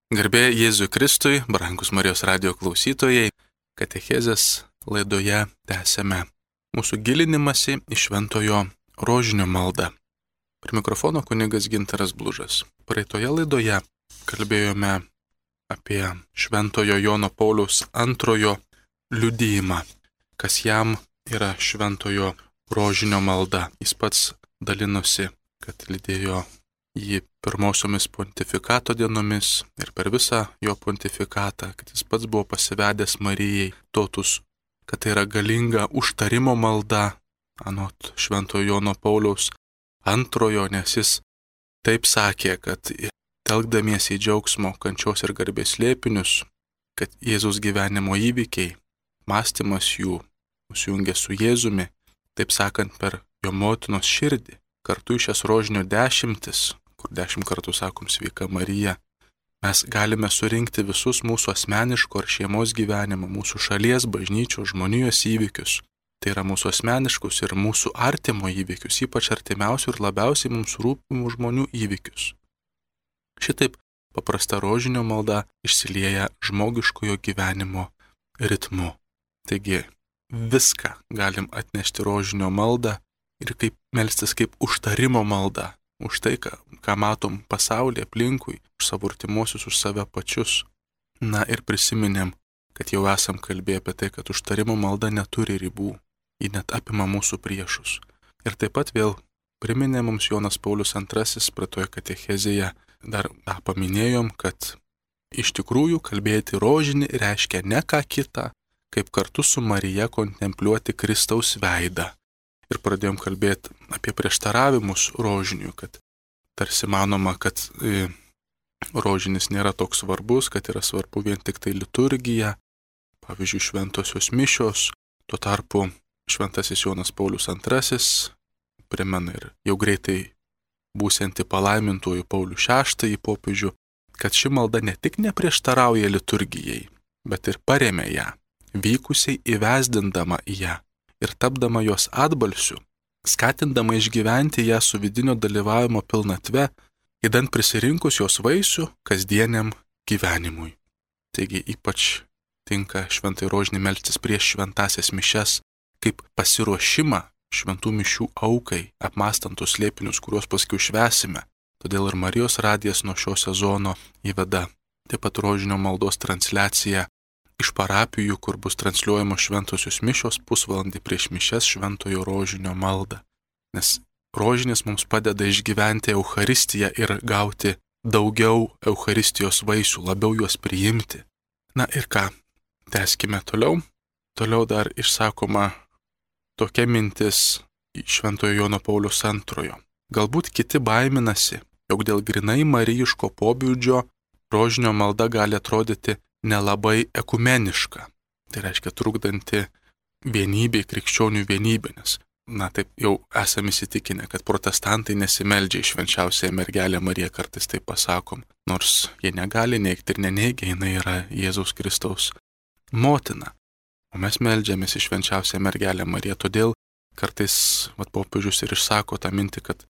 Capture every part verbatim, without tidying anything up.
Garbė Jėzui Kristui, brangus Marijos radijo klausytojai, katechezės laidoje tęsėme mūsų gilinimąsi į šventojo rožinio maldą. Prie mikrofono kunigas Gintaras Blužas. Praeitoje laidoje kalbėjome apie šventojo Jono Pauliaus antrojo liudijimą, kas jam yra šventojo rožinio malda. Jis pats dalinosi, kad lydėjo jį pirmosiomis pontifikato dienomis ir per visą jo pontifikatą, kad jis pats buvo pasivedęs Marijai totus, kad tai yra galinga užtarimo malda, anot šventojo Jono Pauliaus antrojo, nes jis taip sakė, kad telkdamiesi į džiaugsmo, kančios ir garbės slėpinius, kad Jėzaus gyvenimo įvykiai, mąstymas jų susijungia su Jėzumi, taip sakant per jo motinos širdį, kartu iš šias rožinio dešimtis, kur dešimt kartų sakom sveika Marija, mes galime surinkti visus mūsų asmeniško ar šeimos gyvenimo, mūsų šalies, bažnyčios, žmonijos įvykius. Tai yra mūsų asmeniškus ir mūsų artimo įvykius, ypač artimiausių ir labiausiai mums rūpimų žmonių įvykius. Šitaip paprasta rožinio malda išsilieja žmogiškojo gyvenimo ritmu. Taigi viską galim atnešti rožinio maldą ir kaip melstis kaip užtarimo malda. Už tai, ką, ką matom pasaulyje aplinkui, už savo artimuosius, už save pačius. Na ir prisiminėm, kad jau esam kalbėję apie tai, kad užtarimo malda neturi ribų, ji net apima mūsų priešus. Ir taip pat vėl priminė mums Jonas Paulius antrasis praeitoje katechezėje, dar tą paminėjom, kad iš tikrųjų kalbėti rožinį reiškia ne ką kitą, kaip kartu su Marija kontempliuoti Kristaus veidą. Ir pradėjom kalbėti apie prieštaravimus rožinių, kad tarsi manoma, kad e, rožinis nėra toks svarbus, kad yra svarbu vien tik tai liturgija, pavyzdžiui, šventosios mišios, tuo tarpu šventasis Jonas Paulius antrasis primena ir jau greitai būsianti palaimintuoju Paulių šeštąjį popiežių, kad ši malda ne tik neprieštarauja liturgijai, bet ir paremia ją, vykusiai įvesdindama į ją ir tapdama jos atbalsiu, skatindama išgyventi ją su vidinio dalyvavimo pilnatve, įdant prisirinkus jos vaisių kasdieniam gyvenimui. Taigi ypač tinka šventai rožinį melstis prieš šventasias mišias, kaip pasiruošimą šventų mišių aukai, apmąstant tus slėpinius, kuriuos paskui švęsime. Todėl ir Marijos radijas nuo šio sezono įveda taip pat rožinio maldos transliaciją iš parapijų, kur bus transliuojamos šventosios mišios pusvalandį prieš mišias šventojo rožinio maldą. Nes rožinis mums padeda išgyventi Eucharistiją ir gauti daugiau Eucharistijos vaisių, labiau juos priimti. Na ir ką, tęskime toliau. Toliau dar išsakoma tokia mintis šventojo Jono Pauliaus antrojo. Galbūt kiti baiminasi, jog dėl grinai marijiško pobūdžio rožinio malda gali atrodyti nelabai ekumeniška. Tai reiškia trukdanti vienybei, krikščionių vienybė, nes, na taip jau esame įsitikinę, kad protestantai nesimeldžia į švenčiausiąją mergelę Mariją, kartais taip pasakom, nors jie negali neigti ir neneigia, jinai yra Jėzaus Kristaus motina. O mes meldžiamės į švenčiausiąją mergelę Mariją, todėl kartais vat, popiežius ir išsako tą mintį, kad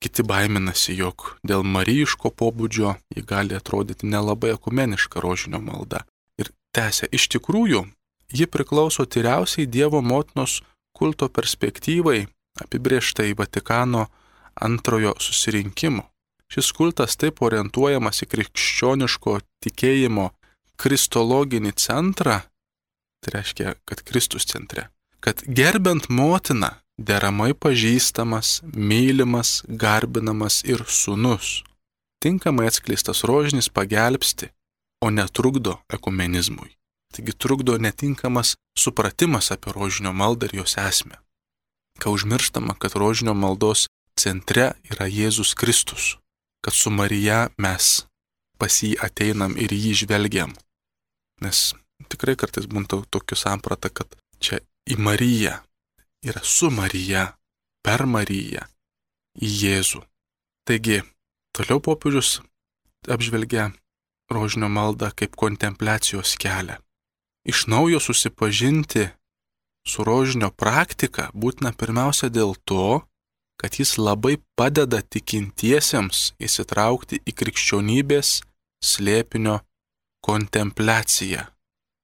kiti baiminasi, jog dėl marijiško pobūdžio ji gali atrodyti nelabai ekumeniška rožinio malda. Ir tęsia, iš tikrųjų, ji priklauso tyriausiai Dievo motinos kulto perspektyvai, apibrėžtai Vatikano antrojo susirinkimo. Šis kultas taip orientuojamas į krikščioniško tikėjimo kristologinį centrą, tai reiškia, kad Kristus centre, kad gerbent motiną, deramai pažįstamas, mylimas, garbinamas ir sūnus. Tinkamai atskleistas rožinis pagelbsti, o netrukdo ekumenizmui. Taigi trukdo netinkamas supratimas apie rožinio maldą ir jos esmę. Ką užmirštama, kad rožinio maldos centre yra Jėzus Kristus, kad su Marija mes pas jį ateinam ir jį žvelgiam. Nes tikrai kartais būna tokių samprata, kad čia į Mariją yra su Marija, per Mariją, į Jėzų. Taigi, toliau popiežius apžvelgia rožinio maldą kaip kontempliacijos kelią. Iš naujo susipažinti su rožinio praktika būtina pirmiausia dėl to, kad jis labai padeda tikintiesiems įsitraukti į krikščionybės slėpinio kontempliacija.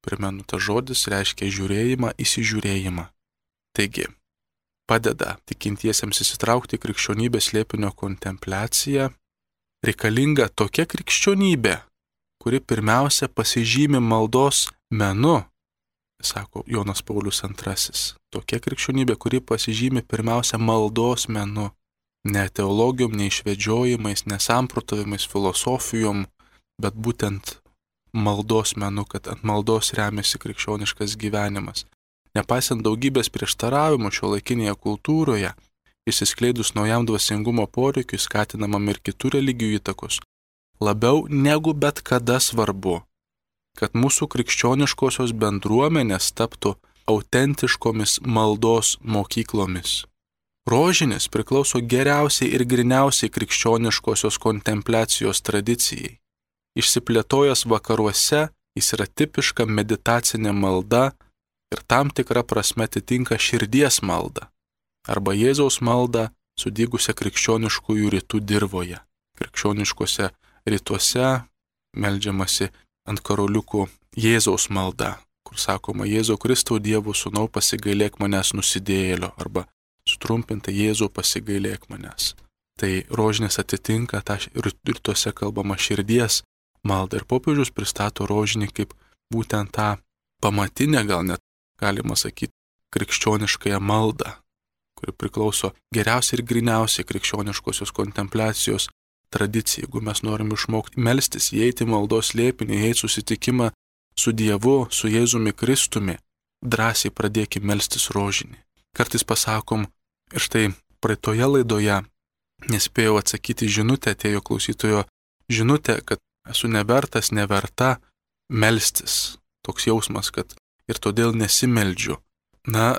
Primenu, tas žodis reiškia žiūrėjimą, įsižiūrėjimą. Taigi, padeda tikintiesiems įsitraukti į krikščionybės slėpinio kontempliaciją. Reikalinga tokia krikščionybė, kuri pirmiausia pasižymi maldos menu, sako Jonas Paulius antrasis. Tokia krikščionybė, kuri pasižymi pirmiausia maldos menu, ne teologijom, ne išvedžiojimais, ne samprotavimais, filosofijom, bet būtent maldos menu, kad ant maldos remiasi krikščioniškas gyvenimas. Nepaisant daugybės prieštaravimų šiuolaikinėje kultūroje, išsiskleidus naujam dvasingumo poreikiui, skatinamam ir kitų religijų įtakos, labiau negu bet kada svarbu, kad mūsų krikščioniškosios bendruomenės taptų autentiškomis maldos mokyklomis. Rožinis priklauso geriausiai ir griniausiai krikščioniškosios kontempliacijos tradicijai. Išsiplėtojęs vakaruose, jis yra tipiška meditacinė malda ir tam tikra prasme atitinka širdies maldą arba Jėzaus maldą sudygusią krikščioniškųjų rytų dirvoje. Krikščioniškose rytuose meldžiamasi ant karoliukų Jėzaus malda, kur sakoma: Jėzau Kristau, Dievo sūnau, pasigailėk manęs nusidėjėlio, arba sutrumpinta: Jėzau, pasigailėk manęs. Tai rožinis atitinka tą rytuose kalbama širdies maldą ir popiežius pristato rožinį kaip būtent tą pamatinę, gal net galima sakyti, krikščioniškąją maldą, kuri priklauso geriausiai ir griniausiai krikščioniškosios kontempliacijos tradicijai. Jeigu mes norim išmokti melstis, įeiti maldos slėpinį, įeiti susitikimą su Dievu, su Jėzumi Kristumi, drąsiai pradėkime melstis rožinį. Kartais pasakom, ir štai praeitoje laidoje nespėjau atsakyti žinutę, atėjo klausytojo žinutė, kad esu nevertas, neverta melstis. Toks jausmas, kad ir todėl nesimeldžiu. Na,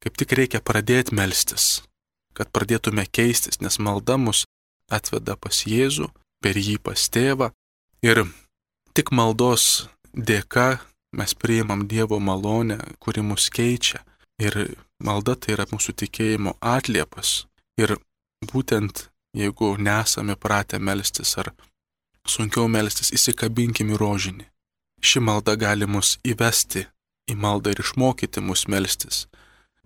kaip tik reikia pradėti melstis, kad pradėtume keistis, nes malda mus atveda pas Jėzų, per jį pas tėvą. Ir tik maldos dėka mes priimam Dievo malonę, kuri mus keičia. Ir malda tai yra mūsų tikėjimo atliepas. Ir būtent jeigu nesame pratę melstis ar sunkiau melstis, įsikabinkim į rožinį. Ši malda gali mus įvesti į maldą ir išmokyti mus melstis.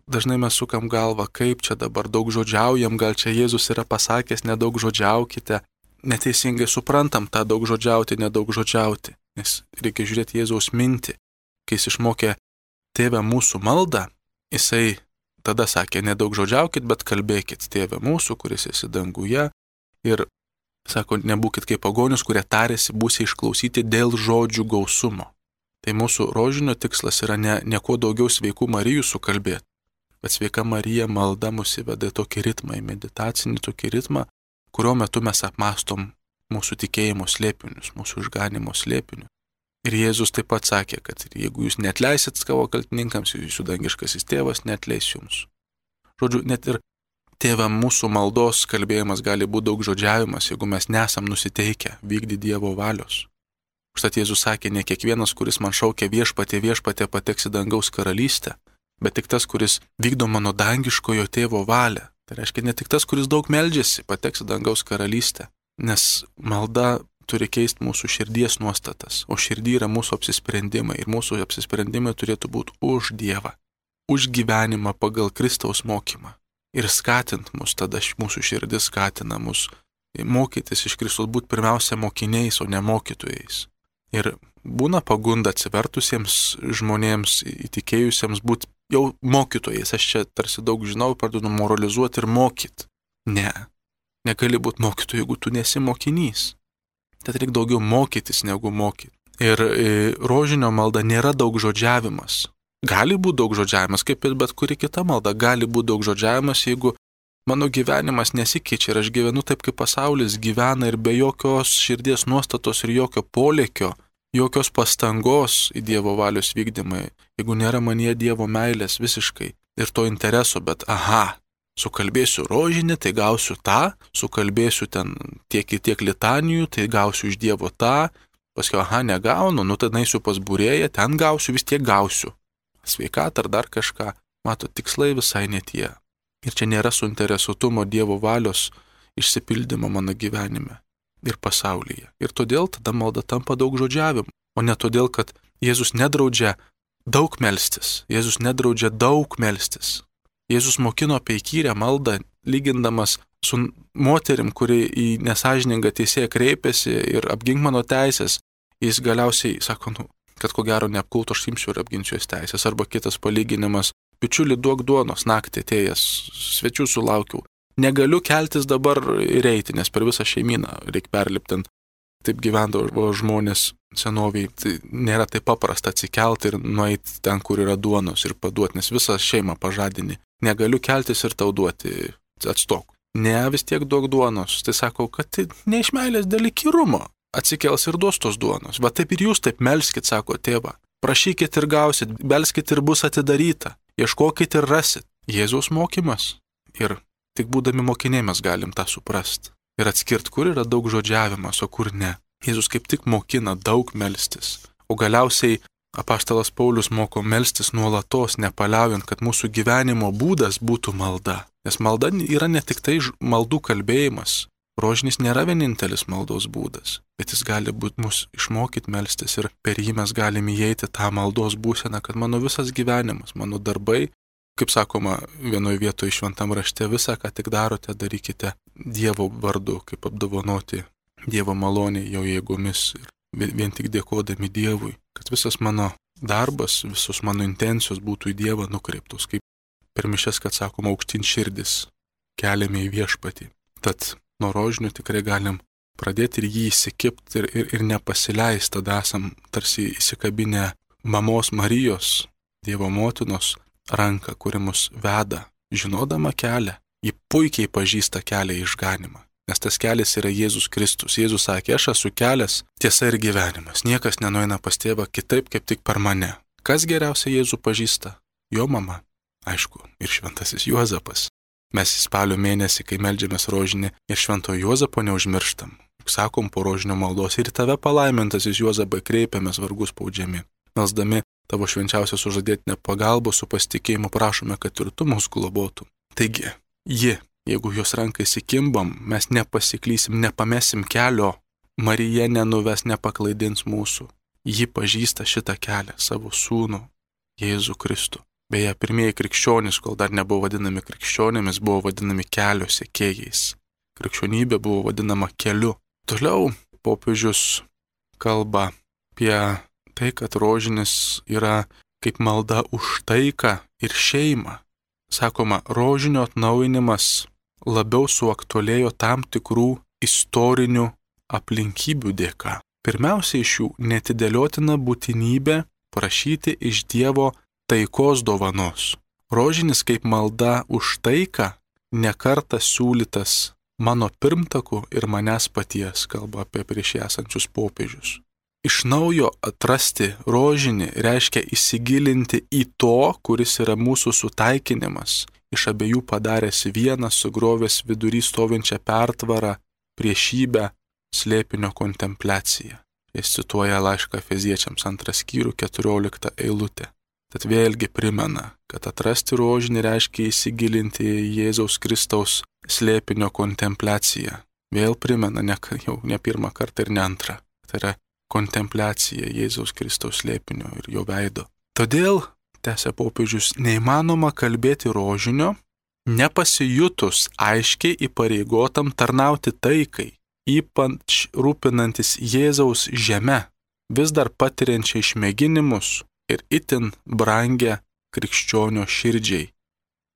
Dažnai mes sukam galvą, kaip čia dabar daug žodžiaujam, gal čia Jėzus yra pasakęs nedaug žodžiaukite. Neteisingai suprantam tą daug žodžiauti, nedaug žodžiauti, nes reikia žiūrėti Jėzaus mintį. Kai jis išmokė Tėve mūsų maldą, jisai tada sakė: nedaug žodžiaukit, bet kalbėkit, Tėve mūsų, kuris esi danguje. Ir sako, nebūkit kaip pagonius, kurie tarėsi būsi išklausyti dėl žodžių gausumo. Tai mūsų rožinio tikslas yra ne, ne kuo daugiau sveikų Marijų sukalbėti, bet sveika Marija malda mus įveda į tokį ritmą, į meditacinį tokį ritmą, kurio metu mes apmastom mūsų tikėjimo slėpinius, mūsų išganimo slėpinius. Ir Jėzus taip pat sakė, kad jeigu jūs neatleisit savo kaltininkams, jūsų dangiškasis tėvas neatleis jums. Žodžiu, net ir Tėve mūsų maldos kalbėjimas gali būti daug žodžiavimas, jeigu mes nesam nusiteikę vykdyti Dievo valios. Užtat Jėzus sakė, ne kiekvienas, kuris man šaukia viešpatie, viešpatie pateks į dangaus karalystę, bet tik tas, kuris vykdo mano dangiškojo tėvo valią. Tai reiškia, ne tik tas, kuris daug meldžiasi, pateks į dangaus karalystę, nes malda turi keisti mūsų širdies nuostatas, o širdį yra mūsų apsisprendimai ir mūsų apsisprendimai turėtų būti už Dievą, už gyvenimą pagal Kristaus mokymą. Ir skatint mus, tada mūsų širdis skatina mus mokytis iš Kristaus, būti pirmiausia mokiniais, o ne mokytojais. Ir būna pagunda atsivertusiems žmonėms, įtikėjusiems būti jau mokytojais. Aš čia tarsi daug žinau, pradedu moralizuoti ir mokyti. Ne, negali būti mokytoju, jeigu tu nesi mokinys. Tad reikia daugiau mokytis negu mokyti. Ir e, rožinio malda nėra daug žodžiavimas. Gali būti daug žodžiavimas, kaip ir bet kuri kita malda. Gali būti daug žodžiavimas, jeigu mano gyvenimas nesikeičia ir aš gyvenu taip, kaip pasaulis gyvena ir be jokios širdies nuostatos ir jokio polėkio, jokios pastangos į Dievo valios vykdymą. Jeigu nėra manyje Dievo meilės visiškai ir to intereso, bet aha, sukalbėsiu rožinį, tai gausiu tą, sukalbėsiu ten tiek ir tiek litanijų, tai gausiu iš Dievo tą, paskui aha, negaunu, nu tada eisiu pas būrėją, ten gausiu, vis tiek gausiu. Sveikatą ar dar kažką, mato, tikslai visai netie. Ir čia nėra suinteresuotumo Dievo valios išsipildymo mano gyvenime. ir pasaulyje. Ir todėl tada malda tampa daug žodžiavimu, o ne todėl, kad Jėzus nedraudžia daug melstis. Jėzus nedraudžia daug melstis. Jėzus mokino apie įkyrę maldą, lygindamas su moterim, kuri į nesažiningą teisėją kreipėsi ir apgink mano teisės. Jis galiausiai sako, nu, kad ko gero neapkulto aš imsiu ir apginsiu jos teisės. Arba kitas palyginimas, bičiuli duok duonos, naktį atėjęs, svečių sulaukiau. Negaliu keltis dabar ir eiti, nes per visą šeimyną reikia perlipti. Taip gyvendavo žmonės senoviai. Tai nėra taip paprasta atsikelti ir nueiti ten, kur yra duonos ir paduoti, nes visą šeimą pažadini. Negaliu keltis ir tau duoti, atstok. Ne, vis tiek duok duonos. Tai sako, kad tai ne iš meilės dėl įkyrumo. Atsikels ir duos tos duonos. Va taip ir jūs taip melskit, sako tėva. Prašykit ir gausit, belskit ir bus atidaryta. Ieškokit ir rasit. Jėzaus mokymas. Ir tik būdami mokiniai mes galim tą suprast. Ir atskirt, kur yra daug žodžiavimas, o kur ne. Jėzus kaip tik mokina daug melstis. O galiausiai apaštalas Paulius moko melstis nuolatos, nepaliaujant, kad mūsų gyvenimo būdas būtų malda. Nes malda yra ne tik tai maldų kalbėjimas. Rožinis nėra vienintelis maldos būdas, bet jis gali būti mus išmokyti melstis ir per jį mes galime įeiti tą maldos būseną, kad mano visas gyvenimas, mano darbai, kaip sakoma vienoje vietoje šventam rašte, visą, ką tik darote, darykite Dievo vardu, kaip apdovanoti Dievo malonė jo jėgomis ir vien tik dėkodami Dievui, kad visas mano darbas, visos mano intencijos būtų į Dievą nukreiptos, kaip per mišias, kad sakoma, aukštyn širdis keliame į viešpatį. Tad nuo rožinių tikrai galim pradėti ir jį įsikipti ir, ir, ir nepasileisti, tada esam tarsi įsikabinę mamos Marijos, Dievo motinos ranką, kuri mus veda, žinodama kelią. Ji puikiai pažįsta kelią į išganimą, nes tas kelias yra Jėzus Kristus. Jėzus sakė, aš esu kelias, tiesa ir gyvenimas. Niekas nenueina pas tėvą kitaip, kaip tik per mane. Kas geriausiai Jėzų pažįsta? Jo mama. Aišku, ir šventasis Juozapas. Mes į spalio mėnesį, kai meldžiamės rožinį, ir šventojo Juozapo neužmirštam. Juk sakom po rožinio maldos ir tave palaimintasis Juozapai kreipiamės vargus spaudžiami. Melsdami tavo švenčiausią sužadėtinę pagalbą su pasitikėjimu prašome, kad ir tu mus globotum. Taigi, ji, jeigu jos ranką įsikimbam, mes nepasiklysim, nepamesim kelio, Marija nenuves, nepaklaidins mūsų. Ji pažįsta šitą kelią, savo sūnų, Jėzų Kristų. Beje, pirmieji krikščionys, kol dar nebuvo vadinami krikščionėmis, buvo vadinami kelio sekėjais. Krikščionybė buvo vadinama keliu. Toliau popiežius kalba apie tai, kad rožinis yra kaip malda už taiką ir šeimą. Sakoma, rožinio atnaujinimas labiau suaktualėjo tam tikrų istorinių aplinkybių dėka. Pirmiausia iš jų netidėliotina būtinybė prašyti iš Dievo taikos dovanos. Rožinis kaip malda už taiką nekartą siūlytas mano pirmtakų ir manęs paties, kalba apie prieš esančius popiežius. Iš naujo atrasti rožinį reiškia įsigilinti į to, kuris yra mūsų sutaikinimas, iš abiejų padaręs vieną, sugrovęs vidury stovinčią pertvarą, priešybę, slėpinio kontempliaciją. Jis cituoja laišką Efeziečiams antrą skyrių keturioliktą eilutę. Tad vėlgi primena, kad atrasti rožinį reiškia įsigilinti į Jėzaus Kristaus slėpinio kontempliaciją. Vėl primena, ne, jau ne pirmą kartą ir ne antrą. Tai yra kontempliacija Jėzaus Kristaus slėpinio ir jo veido. Todėl, tęsia popiežius, neįmanoma kalbėti rožinio, nepasijutus aiškiai įpareigotam tarnauti taikai, ypač rūpinantis Jėzaus žeme, vis dar patiriančiai išmėginimus ir itin brangią krikščionio širdžiai.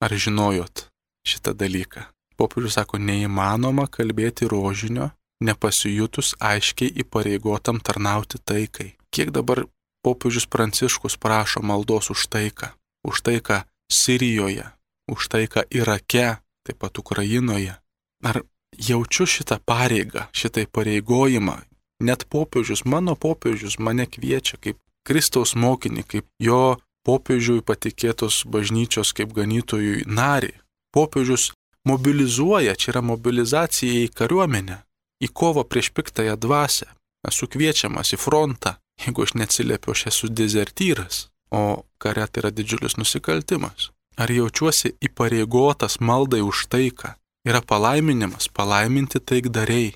Ar žinojot šitą dalyką? Popiežius sako, neįmanoma kalbėti rožinio, nepasijutus aiškiai įpareigotam tarnauti taikai. Kiek dabar popiežius Pranciškus prašo maldos už taiką? Už taiką Sirijoje, už taiką Irake, taip pat Ukrainoje. Ar jaučiu šitą pareigą, šitą įpareigojimą? Net popiežius, mano popiežius mane kviečia kaip Kristaus mokinį, kaip jo popiežiui patikėtos bažnyčios kaip ganytojui narį. Popiežius mobilizuoja, čia yra mobilizacija į kariuomenę, į kovą prieš piktąją dvasią. Esu kviečiamas į frontą, jeigu aš neatsiliepiu, aš esu dezertyras, o kare tai yra didžiulis nusikaltimas. Ar jaučiuosi įpareigotas maldai už taiką? Yra palaiminimas, palaiminti taikdariai.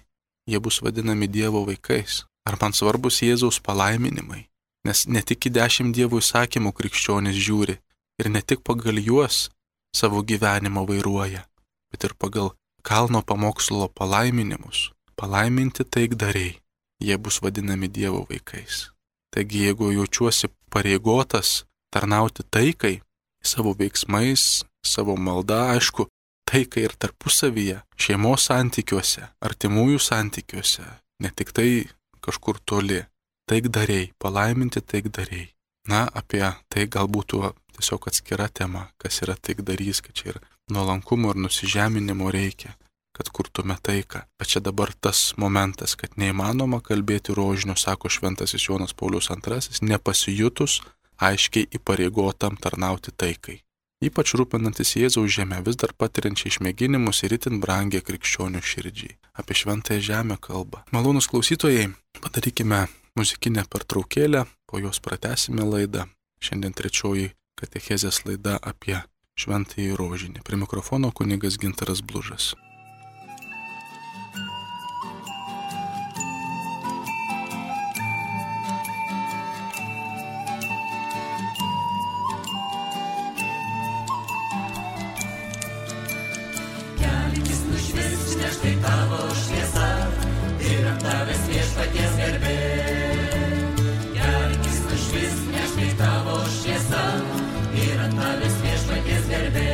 jie bus vadinami Dievo vaikais. Ar man svarbus Jėzaus palaiminimai? Nes ne tik į dešimt Dievo įsakymų krikščionis žiūri ir ne tik pagal juos savo gyvenimą vairuoja, bet ir pagal kalno pamokslo palaiminimus. Palaiminti taikdariai, jie bus vadinami Dievo vaikais. Taigi, jeigu jaučiuosi pareigotas tarnauti taikai, savo veiksmais, savo malda, aišku, taikai ir tarpusavyje, šeimos santykiuose, artimųjų santykiuose, ne tik tai kažkur toli, taikdariai, palaiminti taikdariai. Na, apie tai galbūt tiesiog atskira tema, kas yra taikdarys, kad čia ir nuolankumo ir nusižeminimo reikia, kad kurtume taiką. Bet čia dabar tas momentas, kad neįmanoma kalbėti rožinio, sako šventasis Jonas Paulius antrasis, nepasijutus aiškiai įpareigotam tarnauti taikai. Ypač rūpinantis Jėzaus žemę, vis dar patiriančiai išmėginimus ir itin brangiai krikščionių širdžiai. Apie šventąją žemę kalba. Malonūs klausytojai, padarykime muzikinę pertraukėlę, po jos pratęsime laidą. Šiandien trečioji katechezės laida apie šventąjį rožinį. Prie mikrofono kunigas Gintaras Blužas. Štai tavo šviesa ir ant tavęs viešpaties garbė. Kelkis nušvis, nes štai tavo šviesa ir ant tavęs viešpaties garbė.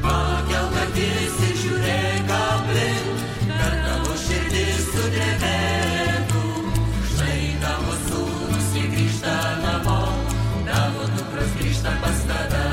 Pakelk akis ir žiūrėk aplink, kad tavo širdis sudrebėtų. Štai tavo sūnus jie grįžta namo, tavo dukros grįžta pas tave.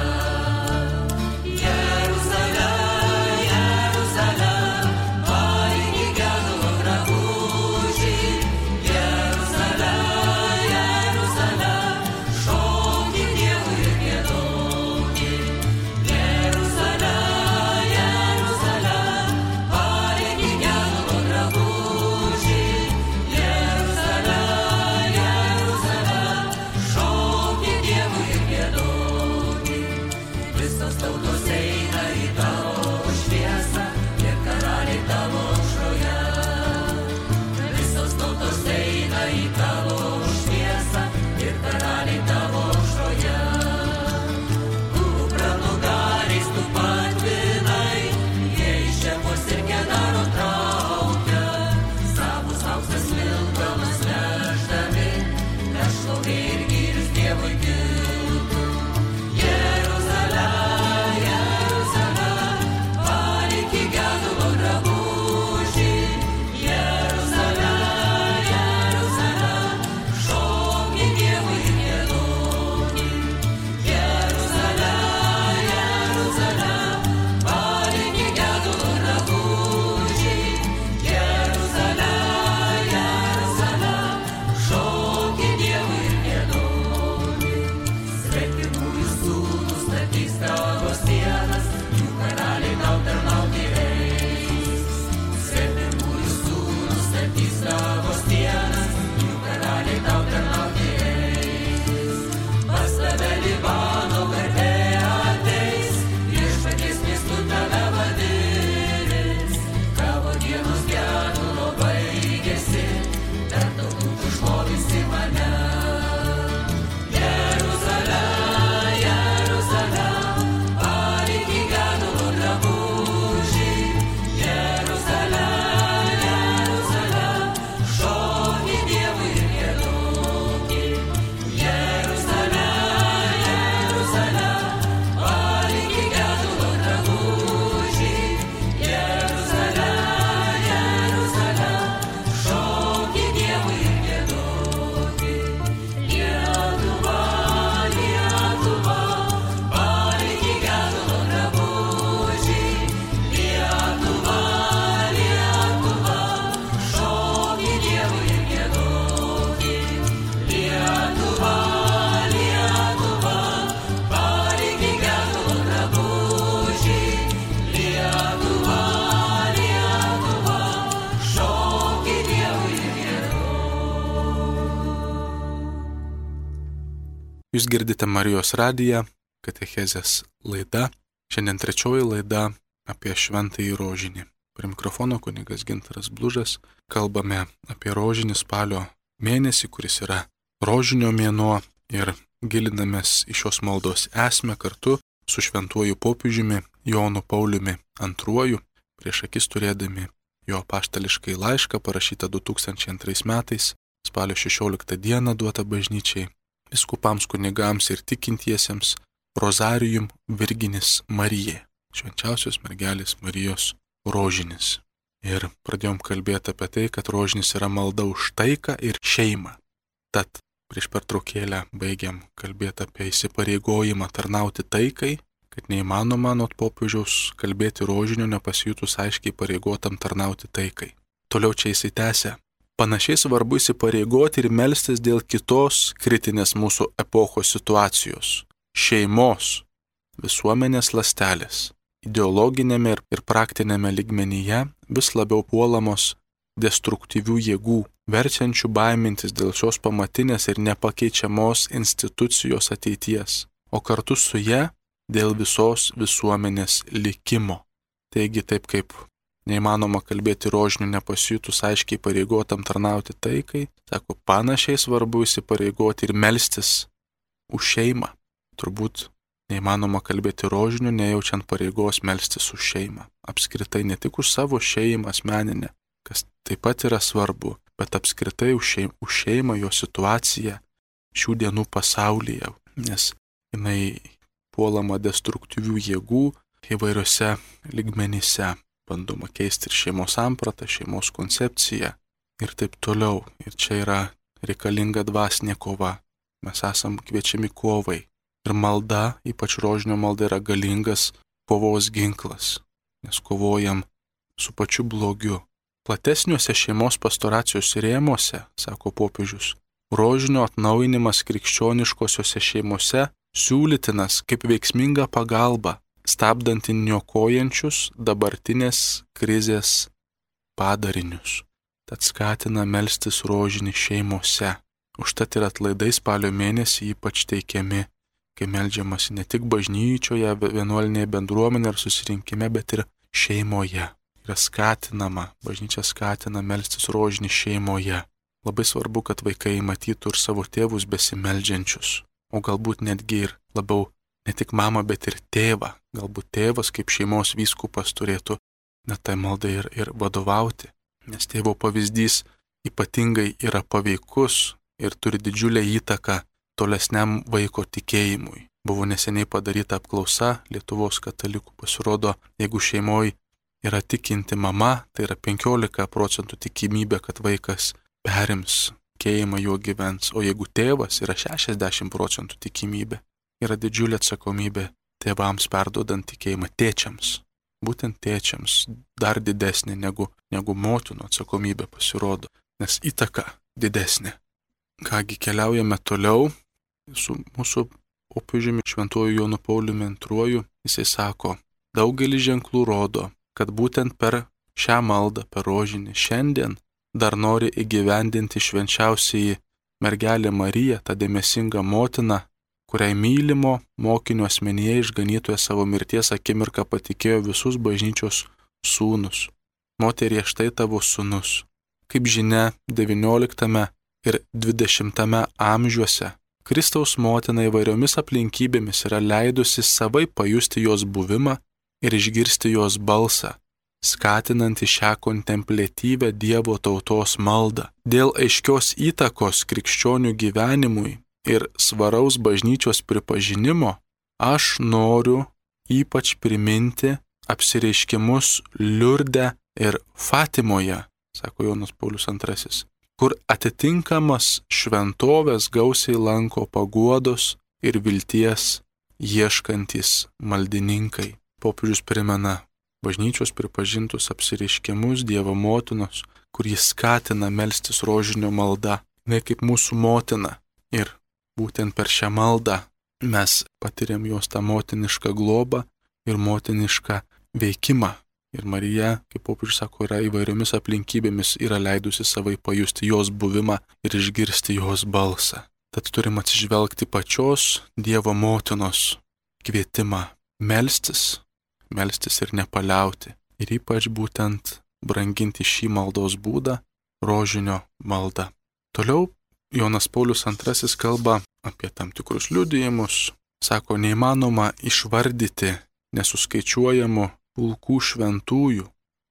Jūs girdite Marijos radiją, katechezės laida. Šiandien trečioji laida apie šventąjį rožinį. Prie mikrofono kunigas Gintaras Blužas. Kalbame apie rožinį spalio mėnesį, kuris yra rožinio mėnuo, ir gilinamės į šios maldos esmę kartu su šventuoju popiežiumi Jonu Pauliumi antruoju, prieš akis turėdami jo apaštališkai laišką parašytą du tūkstančiai antrais metais, spalio šešioliktą dieną duotą bažnyčiai, vyskupams, kunigams ir tikintiesiems, Rosarijum Virginis Marijai, švenčiausios mergelės Marijos rožinis. Ir pradėjom kalbėti apie tai, kad rožinis yra malda už taiką ir šeimą. Tad prieš pertraukėlę baigiam kalbėti apie įsipareigojimą tarnauti taikai, kad neįmanoma anot popiežiaus kalbėti rožinio nepasijutus aiškiai pareigotam tarnauti taikai. Toliau čia įsitęsia. Panašiai svarbu įsipareigoti ir melstis dėl kitos kritinės mūsų epochos situacijos - šeimos, visuomenės ląstelės. Ideologinėme ir praktinėme lygmenyje vis labiau puolamos destruktyvių jėgų, verčiančių baimintis dėl šios pamatinės ir nepakeičiamos institucijos ateities, o kartu su ja dėl visos visuomenės likimo. Taigi taip kaip neįmanoma kalbėti rožiniu nepasijutus aiškiai pareigotam tarnauti taikai, sako, panašiai svarbu įsipareigoti ir melstis už šeimą. Turbūt neįmanoma kalbėti rožiniu, nejaučiant pareigos melstis už šeimą. Apskritai ne tik už savo šeimą asmeninę, kas taip pat yra svarbu, bet apskritai už šeimą, už šeimą, jo situaciją šių dienų pasaulyje, nes jinai puolama destruktyvių jėgų įvairiose lygmenyse. Bandoma keisti ir šeimos sampratą, šeimos koncepciją ir taip toliau. Ir čia yra reikalinga dvasinė kova. Mes esam kviečiami kovai. Ir malda, ypač rožinio malda, yra galingas kovos ginklas, nes kovojam su pačiu blogiu. Platesniuose šeimos pastoracijos rėmuose, sako popiežius, rožinio atnaujinimas krikščioniškosiose šeimose siūlytinas kaip veiksminga pagalba, stabdanti niokojančius dabartinės krizės padarinius. Tad skatina melstis rožinį šeimose. Užtat ir atlaidai spalio mėnesį ypač teikiami, kai meldžiamasi ne tik bažnyčioje, vienuolinėje bendruomenėje ar susirinkime, bet ir šeimoje. Yra skatinama, bažnyčia skatina melstis rožinį šeimoje. Labai svarbu, kad vaikai matytų ir savo tėvus besimeldžiančius, o galbūt netgi ir labiau ne tik mamą, bet ir tėvą. Galbūt tėvas kaip šeimos vyskupas turėtų net tai maldai ir, ir vadovauti, nes tėvo pavyzdys ypatingai yra paveikus ir turi didžiulę įtaką tolesniam vaiko tikėjimui. Buvo neseniai padaryta apklausa Lietuvos katalikų, pasirodo, jeigu šeimoje yra tikinti mama, tai yra penkiolika procentų tikimybė, kad vaikas perims tikėjimą, juo gyvens, o jeigu tėvas yra šešiasdešimt procentų tikimybė. Yra didžiulė atsakomybė tėvams perduodant tikėjimą, tėčiams. Būtent tėčiams dar didesnė negu, negu motinų atsakomybė pasirodo, nes įtaka didesnė. Kągi, keliaujame toliau su mūsų popiežiumi šventuoju Jonu Pauliumi antruoju. Jisai sako, daugelis ženklų rodo, kad būtent per šią maldą, per rožinį šiandien dar nori įgyvendinti švenčiausiai mergelė Marija, ta dėmesinga motina, kuriai mylimo mokinio asmenyje išganytoje savo mirties akimirką patikėjo visus bažnyčios sūnus. Moterie, štai tavo sūnus. Kaip žinia, devynioliktame ir dvidešimtame amžiuose Kristaus motina įvairiomis aplinkybėmis yra leidusi savai pajusti jos buvimą ir išgirsti jos balsą, skatinantį šią kontempliatyvę Dievo tautos maldą. Dėl aiškios įtakos krikščionių gyvenimui ir svaraus bažnyčios pripažinimo, aš noriu ypač priminti apsireiškimus Liurde ir Fatimoje, sako Jonas Paulius antrasis, kur atitinkamas šventovės gausiai lanko paguodos ir vilties ieškantys maldininkai. Popiežius primena bažnyčios pripažintus apsireiškimus Dievo motinos, kur jis skatina melstis rožinio malda, ne kaip mūsų motina. Ir būtent per šią maldą mes patiriam jos tą motinišką globą ir motinišką veikimą. Ir Marija, kaip popiežius sako, yra įvairiomis aplinkybėmis yra leidusi savai pajusti jos buvimą ir išgirsti jos balsą. Tad turim atsižvelgti pačios Dievo motinos kvietimą melstis, melstis ir nepaliauti, ir ypač būtent branginti šį maldos būdą - rožinio maldą. Toliau Jonas Paulius antrasis kalba apie tam tikrus liudijimus. Sako, neįmanoma išvardyti nesuskaičiuojamų pulkų šventųjų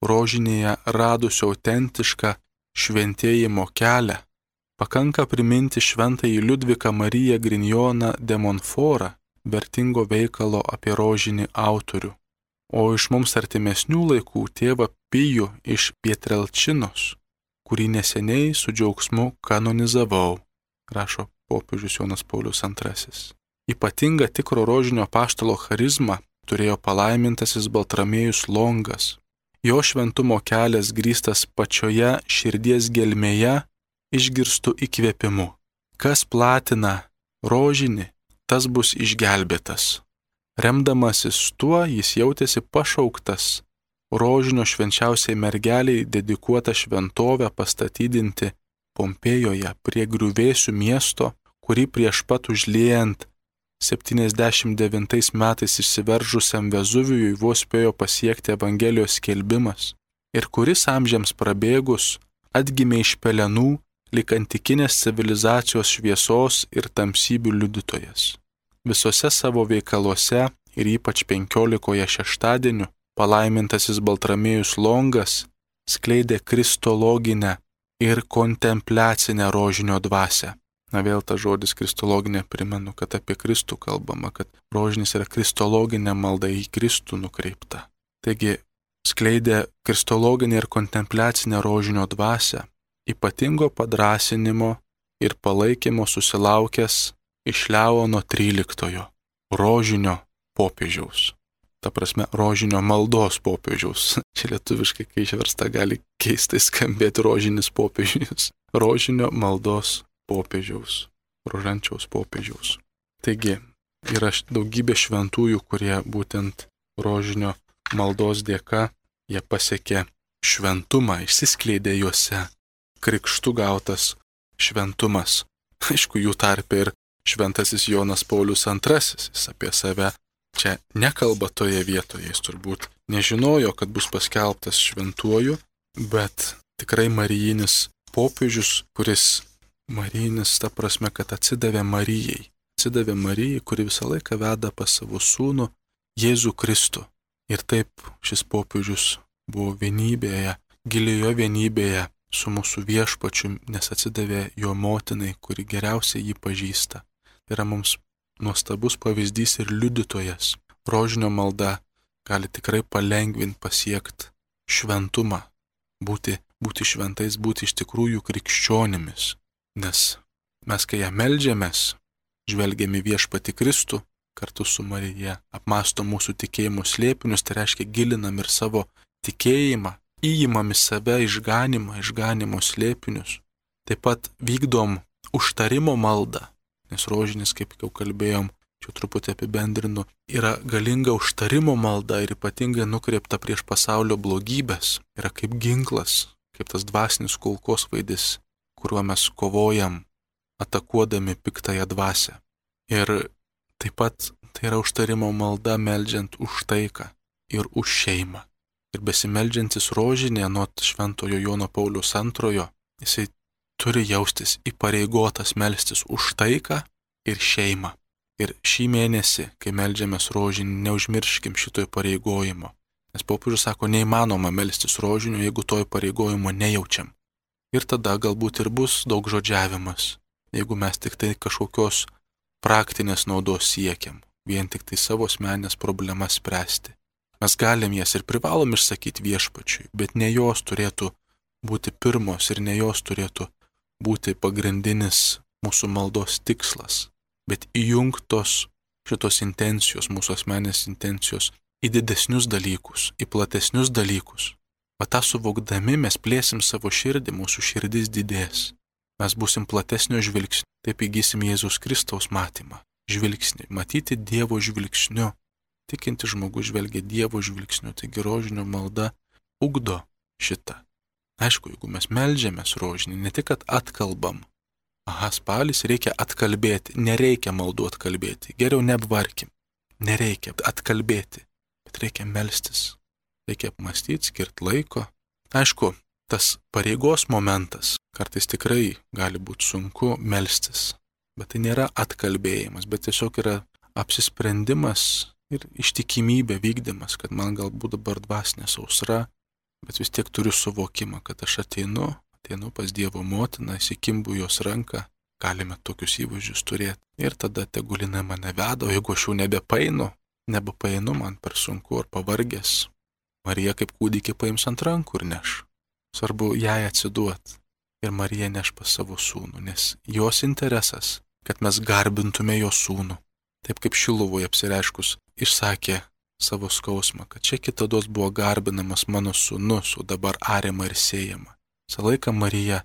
rožinėje radusio autentišką šventėjimo kelią. Pakanka priminti šventąjį Liudviką Mariją Grignoną de Montfortą, vertingo veikalo apie rožinį autorių. O iš mums artimesnių laikų tėvą Pijų iš Pietrelčinos, kurį neseniai su džiaugsmu kanonizavau, rašo popiežius Jonas Paulius antrasis. Ypatinga tikro rožinio apaštalo charizma turėjo palaimintasis Baltramiejus Longas. Jo šventumo kelias grįstas pačioje širdies gelmėje išgirstų įkvėpimu. Kas platina rožinį, tas bus išgelbėtas. Remdamasis tuo, jis jautėsi pašauktas rožinio švenčiausiai mergeliai dedikuotą šventovę pastatydinti Pompėjoje prie griuvėsių miesto, kurį prieš pat užliejant septyniasdešimt devintais metais išsiveržusiam Vezuvijui vos spėjo pasiekti Evangelijos skelbimas ir kuris amžiams prabėgus atgimė iš pelenų lyg antikinės civilizacijos šviesos ir tamsybių liudytojas. Visose savo veikaluose ir ypač penkiolikoje šeštadienių palaimintasis Baltramiejus Longas skleidė kristologinę ir kontempliacinę rožinio dvasią. Na vėl ta žodis kristologinė, primenu, kad apie Kristų kalbama, kad rožinis yra kristologinė malda į Kristų nukreipta. Taigi skleidė kristologinę ir kontempliacinę rožinio dvasią, ypatingo padrasinimo ir palaikymo susilaukęs iš Leono tryliktojo, rožinio popiežiaus. Ta prasme, rožinio maldos popiežiaus. Čia lietuviškai, kai išversta, gali keistai skambėti rožinis popiežius. Rožinio maldos popiežiaus, rožančiaus popiežiaus. Taigi, yra daugybė šventųjų, kurie būtent rožinio maldos dėka jie pasiekė šventumą, išsiskleidė juose, krikštų gautas šventumas. Aišku, jų tarpe ir šventasis Jonas Paulius antrasis, jis apie save čia nekalba toje vietoje, jis turbūt nežinojo, kad bus paskelbtas šventuoju, bet tikrai marijinis popiežius, kuris marijinis ta prasme, kad atsidavė Marijai, atsidavė Marijai, kuri visą laiką veda pas savo sūnų Jėzų Kristų. Ir taip šis popiežius buvo vienybėje, gilioje vienybėje su mūsų viešpačiu, nes atsidavė jo motinai, kuri geriausiai jį pažįsta. Tai yra mums nuostabus pavyzdys ir liudytojas. Rožinio malda gali tikrai palengvinti pasiekti šventumą, būti, būti šventais, būti iš tikrųjų krikščionimis. Nes mes, kai ją meldžiamės, žvelgiame viešpati Kristų, kartu su Marija, apmastom mūsų tikėjimo slėpinius, tai reiškia gilinam ir savo tikėjimą, įimam į save išganimą, išganimo slėpinius. Taip pat vykdom užtarimo maldą, nes rožinis, kaip jau kalbėjom, čia truputį apibendrinu, yra galinga užtarimo malda ir ypatingai nukreipta prieš pasaulio blogybės, yra kaip ginklas, kaip tas dvasinis kulkosvaidis, kuriuo mes kovojam, atakuodami piktąją dvasią. Ir taip pat tai yra užtarimo malda meldžiant už taiką ir už šeimą. Ir besimeldžiantis rožinė nuo šventojo Jono Pauliaus antrojo, jisai turi jaustis įpareigotas melstis už taiką ir šeimą. Ir šį mėnesį, kai meldžiamės rožinį, neužmirškim šito įpareigojimo. Nes popiežius sako, neįmanoma melstis rožiniu, jeigu to įpareigojimo nejaučiam. Ir tada galbūt ir bus daug žodžiavimas, jeigu mes tik tai kažkokios praktinės naudos siekiam, vien tik tai savo asmenines problemas spręsti. Mes galim jas ir privalom išsakyti viešpačiui, bet ne jos turėtų būti pirmos ir ne jos turėtų būti pagrindinis mūsų maldos tikslas, bet įjungtos šitos intencijos, mūsų asmenės intencijos į didesnius dalykus, į platesnius dalykus. O tą suvokdami mes plėsim savo širdį, mūsų širdis didės. Mes būsim platesnio žvilgsnio, taip įgysim Jėzaus Kristaus matymą, žvilgsnį, matyti Dievo žvilgsniu. Tikinti žmogus žvelgia Dievo žvilgsniu, taigi rožinio malda ugdo šitą. Aišku, jeigu mes meldžiamės rožinį, ne tik, kad atkalbam, aha, spalis reikia atkalbėti, nereikia maldų atkalbėti, geriau neapvarkim, nereikia atkalbėti, bet reikia melstis, reikia apmastyti, skirti laiko. Aišku, tas pareigos momentas kartais tikrai gali būti sunku melstis, bet tai nėra atkalbėjimas, bet tiesiog yra apsisprendimas ir ištikimybė vykdymas, kad man galbūt dabar dvasinė sausra, bet vis tiek turiu suvokimą, kad aš ateinu, ateinu pas Dievo motiną, įsikimbu jos ranką, galime tokius įvaizdžius turėti. Ir tada tegulina mane veda, o jeigu aš jau nebepainu, nebepainu, man per sunku ar pavargęs, Marija kaip kūdikį paims ant rankų ir neš. Svarbu jai atsiduoti ir Marija neš pas savo sūnų, nes jos interesas, kad mes garbintume jos sūnų. Taip kaip Šiluvoje apsireiškus išsakė savo skausmą, kad čia kitados buvo garbinamas mano sūnus, o dabar ariama ir siejama. Visą laiką Marija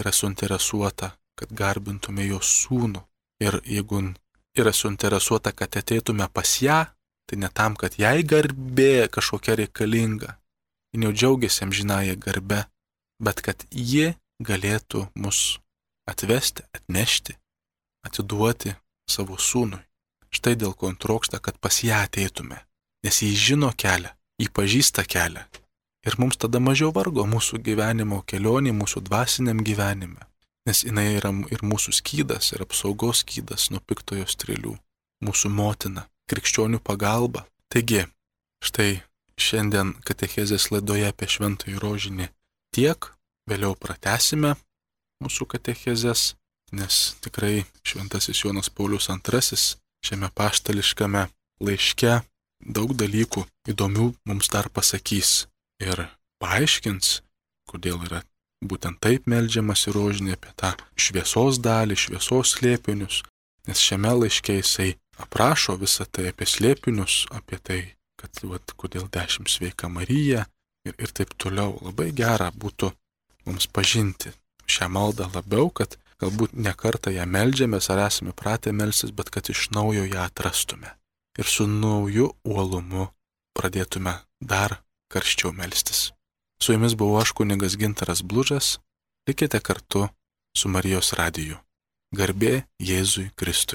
yra suinteresuota, kad garbintume jos sūnų. Ir jeigu yra suinteresuota, kad ateitume pas ją, tai ne tam, kad jai garbė kažkokia reikalinga. Ji jau džiaugiasi amžinąją garbę, bet kad ji galėtų mus atvesti, atnešti, atiduoti savo sūnui. Štai dėl ko trokšta, kad pas ją ateitume, nes jį žino kelią, jį pažįsta kelią. Ir mums tada mažiau vargo mūsų gyvenimo kelionė, mūsų dvasiniam gyvenime, nes jinai yra ir mūsų skydas, ir apsaugos skydas nuo piktojo strėlių, mūsų motina, krikščionių pagalba. Taigi, štai šiandien katechezės laidoje apie šventąjį rožinį tiek, vėliau pratęsime mūsų katechezės, nes tikrai šventasis Jonas Paulius antrasis šiame paštališkame laiške daug dalykų įdomių mums dar pasakys ir paaiškins, kodėl yra būtent taip meldžiamas į rožinį, apie tą šviesos dalį, šviesos slėpinius, nes šiame laiške jisai aprašo visą tai apie slėpinius, apie tai, kad vat, kodėl dešimt sveika Marija ir, ir taip toliau. Labai gera būtų mums pažinti šią maldą labiau, kad galbūt ne kartą ją meldžiamės ar esame pratę melstis, bet kad iš naujo ją atrastume ir su nauju uolumu pradėtume dar karščiau melstis. Su jumis buvau aš, kunigas Gintaras Blužas, likite kartu su Marijos radiju. Garbė Jėzui Kristui.